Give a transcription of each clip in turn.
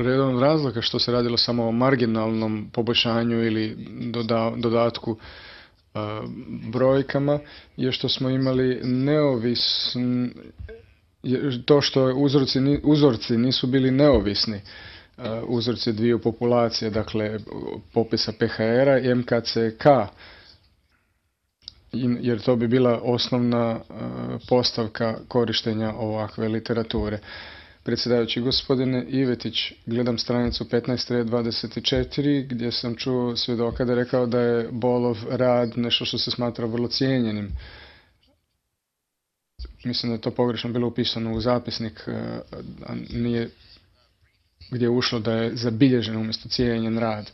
jedan od razloga što se radilo samo o marginalnom poboljšanju ili dodatku brojkama je što smo imali to što uzorci nisu bili neovisni, uzorci dviju populacije, dakle popisa PHR-a i MKCK, jer to bi bila osnovna postavka korištenja ovakve literature. Predsjedavajući, gospodine Ivetić, gledam stranicu 15.24 gdje sam čuo svjedoka da je rekao da je Bolov rad nešto što se smatra vrlo cijenjenim. Mislim da je to pogrešno bilo upisano u zapisnik, a nije gdje je ušlo da je zabilježen umjesto cijenjen rad.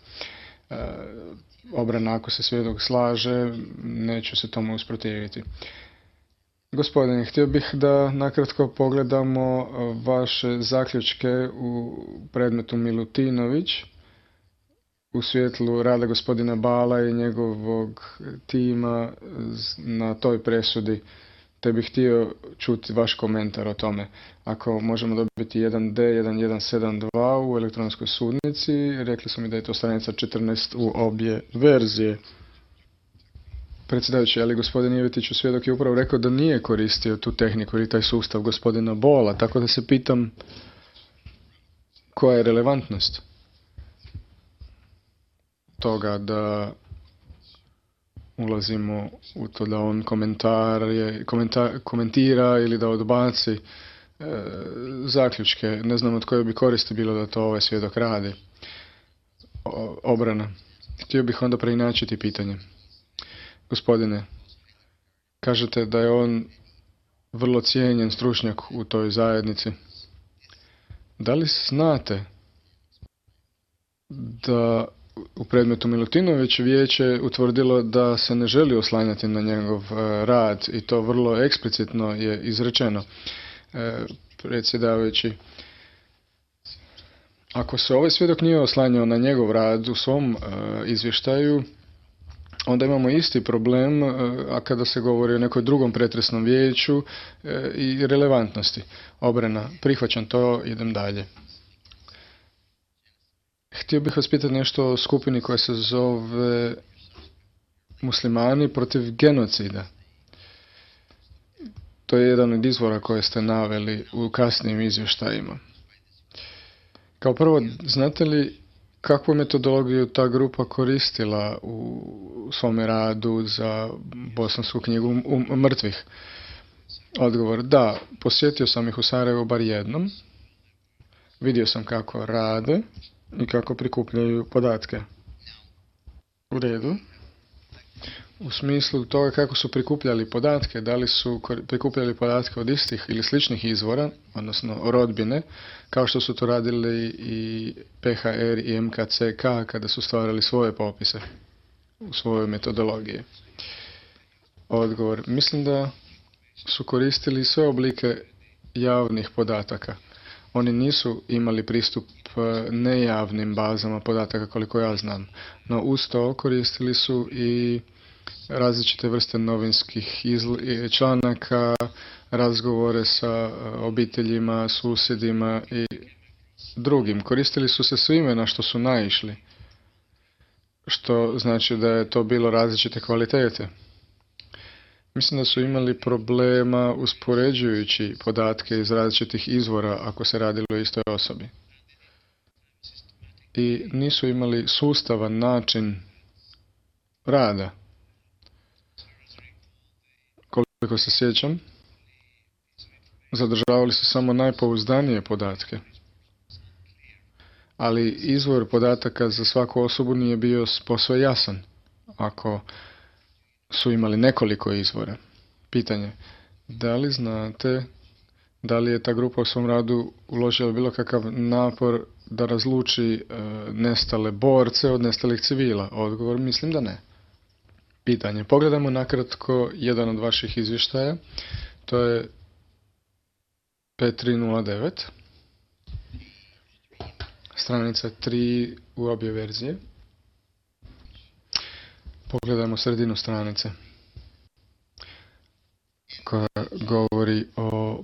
Obrana, ako se svjedok slaže, neću se tomu usprotiviti. Gospodine, htio bih da nakratko pogledamo vaše zaključke u predmetu Milutinović u svjetlu rada gospodina Bala i njegovog tima na toj presudi, te bih htio čuti vaš komentar o tome. Ako možemo dobiti 1D1172 u elektronskoj sudnici, rekli su mi da je to stranica 14 u obje verzije. Predsjedavajući, ali gospodin Ivetić svjedok je upravo rekao da nije koristio tu tehniku ili taj sustav gospodina Bola, tako da se pitam koja je relevantnost toga da ulazimo u to da on komentira ili da odbaci zaključke. Ne znam od koje bi koristi bilo da to ovaj svjedok radi. Obrana. Htio bih onda preinačiti pitanje. Gospodine, kažete da je on vrlo cijenjen stručnjak u toj zajednici. Da li znate da u predmetu Milutinović vijeće utvrdilo da se ne želi oslanjati na njegov rad i to vrlo eksplicitno je izrečeno? Predsjedavajući, ako se ovaj svjedok nije oslanjao na njegov rad u svom izvještaju, onda imamo isti problem, a kada se govori o nekoj drugom pretresnom vijeću i relevantnosti. Obrana, prihvaćam to, idem dalje. Htio bih vas pitati nešto o skupini koja se zove Muslimani protiv genocida. To je jedan od izvora koje ste naveli u kasnijim izvještajima. Kao prvo, znate li kakvu metodologiju ta grupa koristila u svome radu za bosansku knjigu mrtvih? Odgovor, da, posjetio sam ih u Sarajevu bar jednom. Vidio sam kako rade i kako prikupljaju podatke. U redu. U smislu toga kako su prikupljali podatke, da li su prikupljali podatke od istih ili sličnih izvora, odnosno rodbine, kao što su to radili i PHR i MKCK kada su stvarali svoje popise u svojoj metodologiji. Odgovor, mislim da su koristili sve oblike javnih podataka. Oni nisu imali pristup nejavnim bazama podataka koliko ja znam, no uz to koristili su i različite vrste novinskih članaka, razgovore sa obiteljima, susjedima i drugim. Koristili su se svime na što su naišli, što znači da je to bilo različite kvalitete. Mislim da su imali problema uspoređujući podatke iz različitih izvora ako se radilo o istoj osobi. I nisu imali sustavan način rada. Koliko se sjećam, zadržavali su samo najpouzdanije podatke. Ali izvor podataka za svaku osobu nije bio posve jasan ako su imali nekoliko izvora. Pitanje, da li znate da li je ta grupa u svom radu uložila bilo kakav napor da razluči nestale borce od nestalih civila? Odgovor, mislim da ne. Pitanje, pogledamo nakratko jedan od vaših izvještaja, to je 5309, stranica 3 u obje verzije. Pogledajmo sredinu stranice koja govori o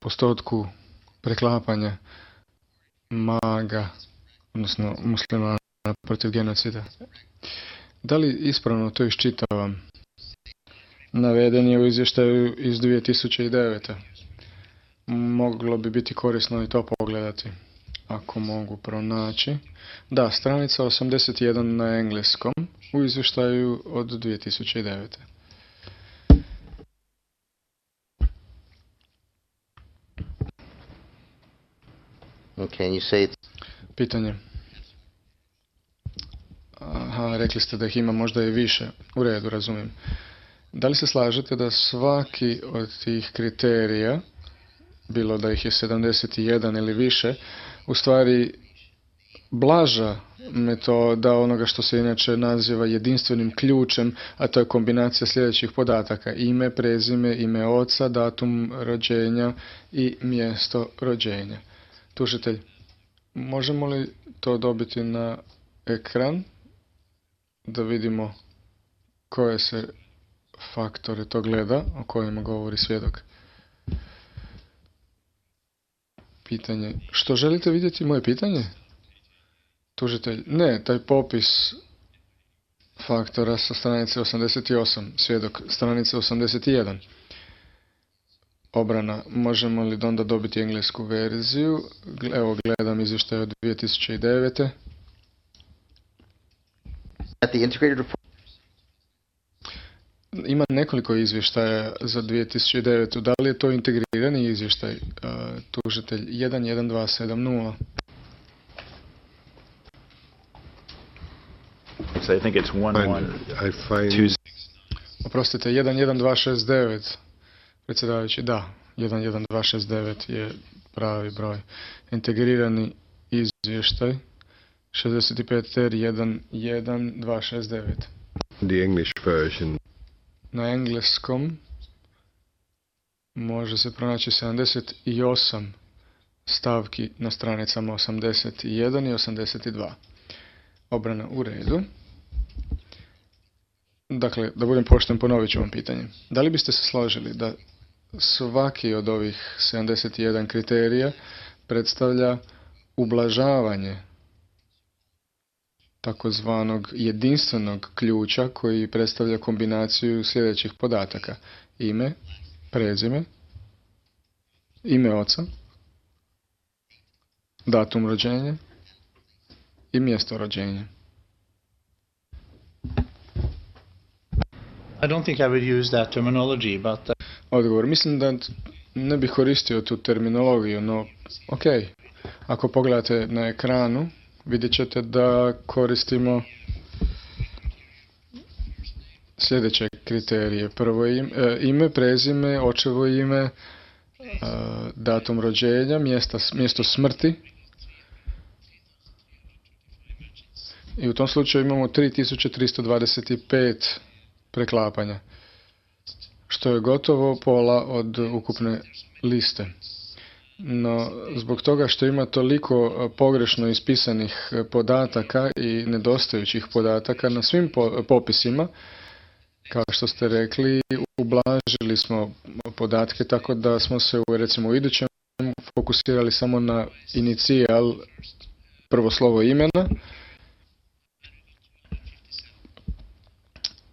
postotku preklapanja maga, odnosno muslimana protiv genocida. Da li ispravno to iščitavam? Naveden je u izvještaju iz 2009. Moglo bi biti korisno i to pogledati, ako mogu pronaći. Da, stranica 81 na engleskom u izvještaju od 2009. Okay, you say Pitanje. Aha, rekli ste da ih ima možda i više. U redu, razumijem. Da li se slažete da svaki od tih kriterija, bilo da ih je 71 ili više, u stvari blaža metoda onoga što se inače naziva jedinstvenim ključem, a to je kombinacija sljedećih podataka: ime, prezime, ime oca, datum rođenja i mjesto rođenja. Tužitelj, možemo li to dobiti na ekran da vidimo koje se faktore to gleda o kojima govori svjedok? Pitanje. Što želite vidjeti? Moje pitanje? Tužitelj. Ne, taj popis faktora sa stranice 88. Svjedok stranice 81. Obrana. Možemo li onda dobiti englesku verziju? Evo, gledam izvještaj od 2009. at the integrated report. Ima nekoliko izvještaja za 2009. Da li je to integrirani izvještaj? Tužitelj 11270. So I think it's I find 112. Oprostite, 11269. Predsjedavajući, da, 11269 je pravi broj. Integrirani izvještaj 65 ter 11269. the English version. Na engleskom može se pronaći 78 stavki na stranicama 81 i 82. Obrana u redu. Dakle, da budem pošten, ponovit ću vam pitanje. Da li biste se složili da svaki od ovih 71 kriterija predstavlja ublažavanje takozvanog jedinstvenog ključa koji predstavlja kombinaciju sljedećih podataka: ime, prezime, ime oca, datum rođenja i mjesto rođenja? I don't think I would use that terminology, but Odgovor. Mislim da ne bih koristio tu terminologiju, no ok. Ako pogledate na ekranu, vidjet ćete da koristimo sljedeće kriterije. Prvo ime, prezime, očevo ime, datum rođenja, mjesto smrti. I u tom slučaju imamo 3325 preklapanja, što je gotovo pola od ukupne liste. No, zbog toga što ima toliko pogrešno ispisanih podataka i nedostajućih podataka na svim popisima, kao što ste rekli, ublažili smo podatke tako da smo se recimo u idućem fokusirali samo na inicijal, prvo slovo imena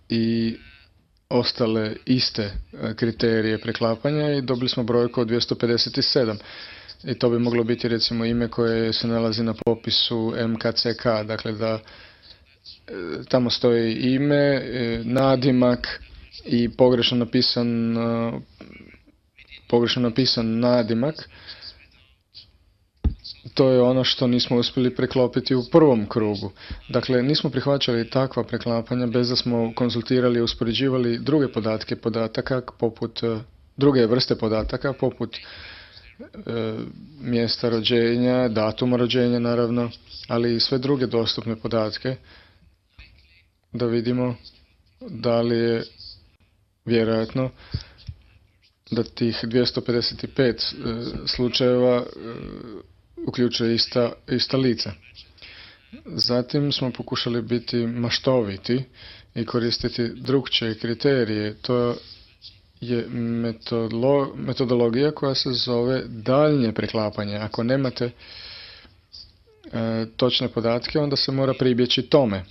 i ostale iste kriterije preklapanja i dobili smo brojku od 257. I to bi moglo biti recimo ime koje se nalazi na popisu MKCK, dakle da tamo stoji ime, nadimak i pogrešno napisan nadimak. To je ono što nismo uspjeli preklopiti u prvom krugu. Dakle, nismo prihvaćali takva preklapanja bez da smo konzultirali i uspoređivali druge podataka poput druge vrste podataka poput mjesta rođenja, datuma rođenja naravno, ali i sve druge dostupne podatke da vidimo da li je vjerojatno da tih 255 slučajeva uključuje ista lica. Zatim smo pokušali biti maštoviti i koristiti drukčije kriterije. To je metodologija koja se zove daljnje preklapanje. Ako nemate točne podatke, onda se mora pribjeći tome.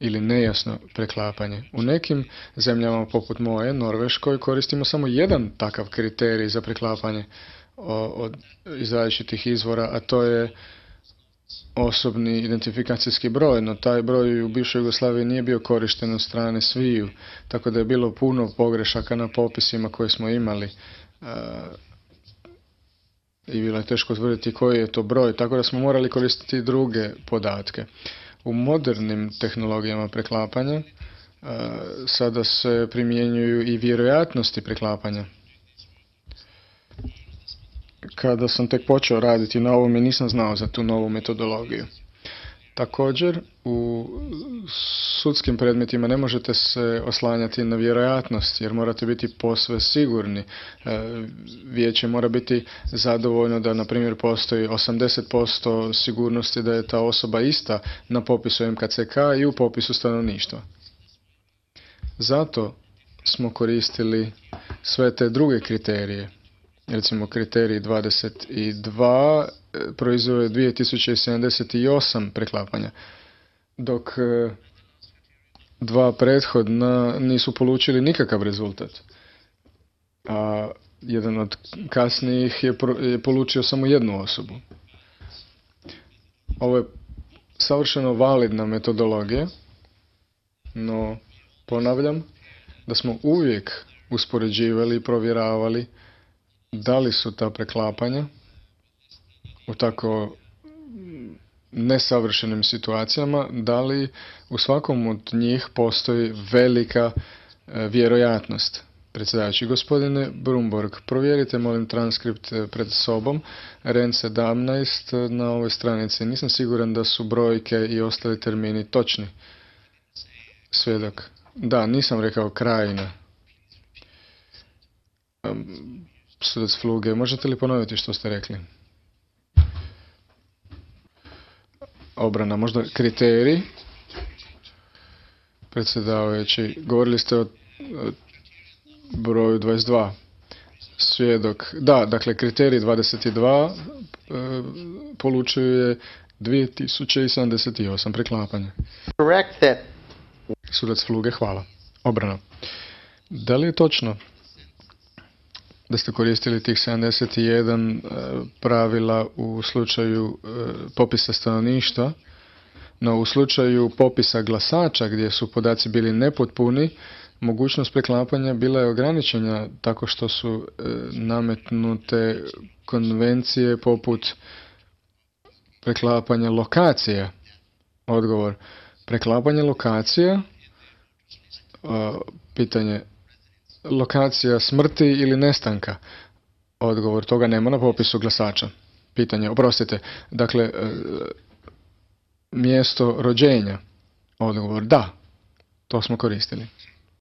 Ili nejasno preklapanje. U nekim zemljama poput moje, Norveškoj, koristimo samo jedan takav kriterij za preklapanje iz različitih izvora, a to je osobni identifikacijski broj, no taj broj u bivšoj Jugoslaviji nije bio korišten od strane sviju, tako da je bilo puno pogrešaka na popisima koje smo imali i bilo je teško utvrditi koji je to broj, tako da smo morali koristiti druge podatke. U modernim tehnologijama preklapanja sada se primjenjuju i vjerojatnosti preklapanja. Kada sam tek počeo raditi na ovome, nisam znao za tu novu metodologiju. Također, u sudskim predmetima ne možete se oslanjati na vjerojatnost, jer morate biti posve sigurni. Vijeće mora biti zadovoljno da, na primjer, postoji 80% sigurnosti da je ta osoba ista na popisu MKCK i u popisu stanovništva. Zato smo koristili sve te druge kriterije. Recimo, kriterij 22 proizveo je 2078 preklapanja, dok dva prethodna nisu polučili nikakav rezultat. A jedan od kasnijih je polučio samo jednu osobu. Ovo je savršeno validna metodologija, no ponavljam da smo uvijek uspoređivali i provjeravali da li su ta preklapanja u tako nesavršenim situacijama, da li u svakom od njih postoji velika vjerojatnost. Predsjedavajući, gospodine Brumborg, provjerite molim transkript pred sobom, REN 17 na ovoj stranici. Nisam siguran da su brojke i ostali termini točni. Svjedok. Da, nisam rekao krajina. Sudac Fluge, možete li ponoviti što ste rekli? Obrana, možda kriterij? Predsjedavajući, govorili ste o broju 22. Svjedok, da, dakle kriterij 22 polučuje 2078 preklapanja. Correct that. Sudac Fluge, hvala. Obrana. Da li je točno da ste koristili tih 71 pravila u slučaju popisa stanovništva, no u slučaju popisa glasača gdje su podaci bili nepotpuni, mogućnost preklapanja bila je ograničena tako što su nametnute konvencije poput preklapanja lokacija. Odgovor. Preklapanje lokacija, pitanje lokacija smrti ili nestanka. Odgovor, toga nema na popisu glasača. Pitanje, oprostite, dakle, mjesto rođenja. Odgovor, da, to smo koristili.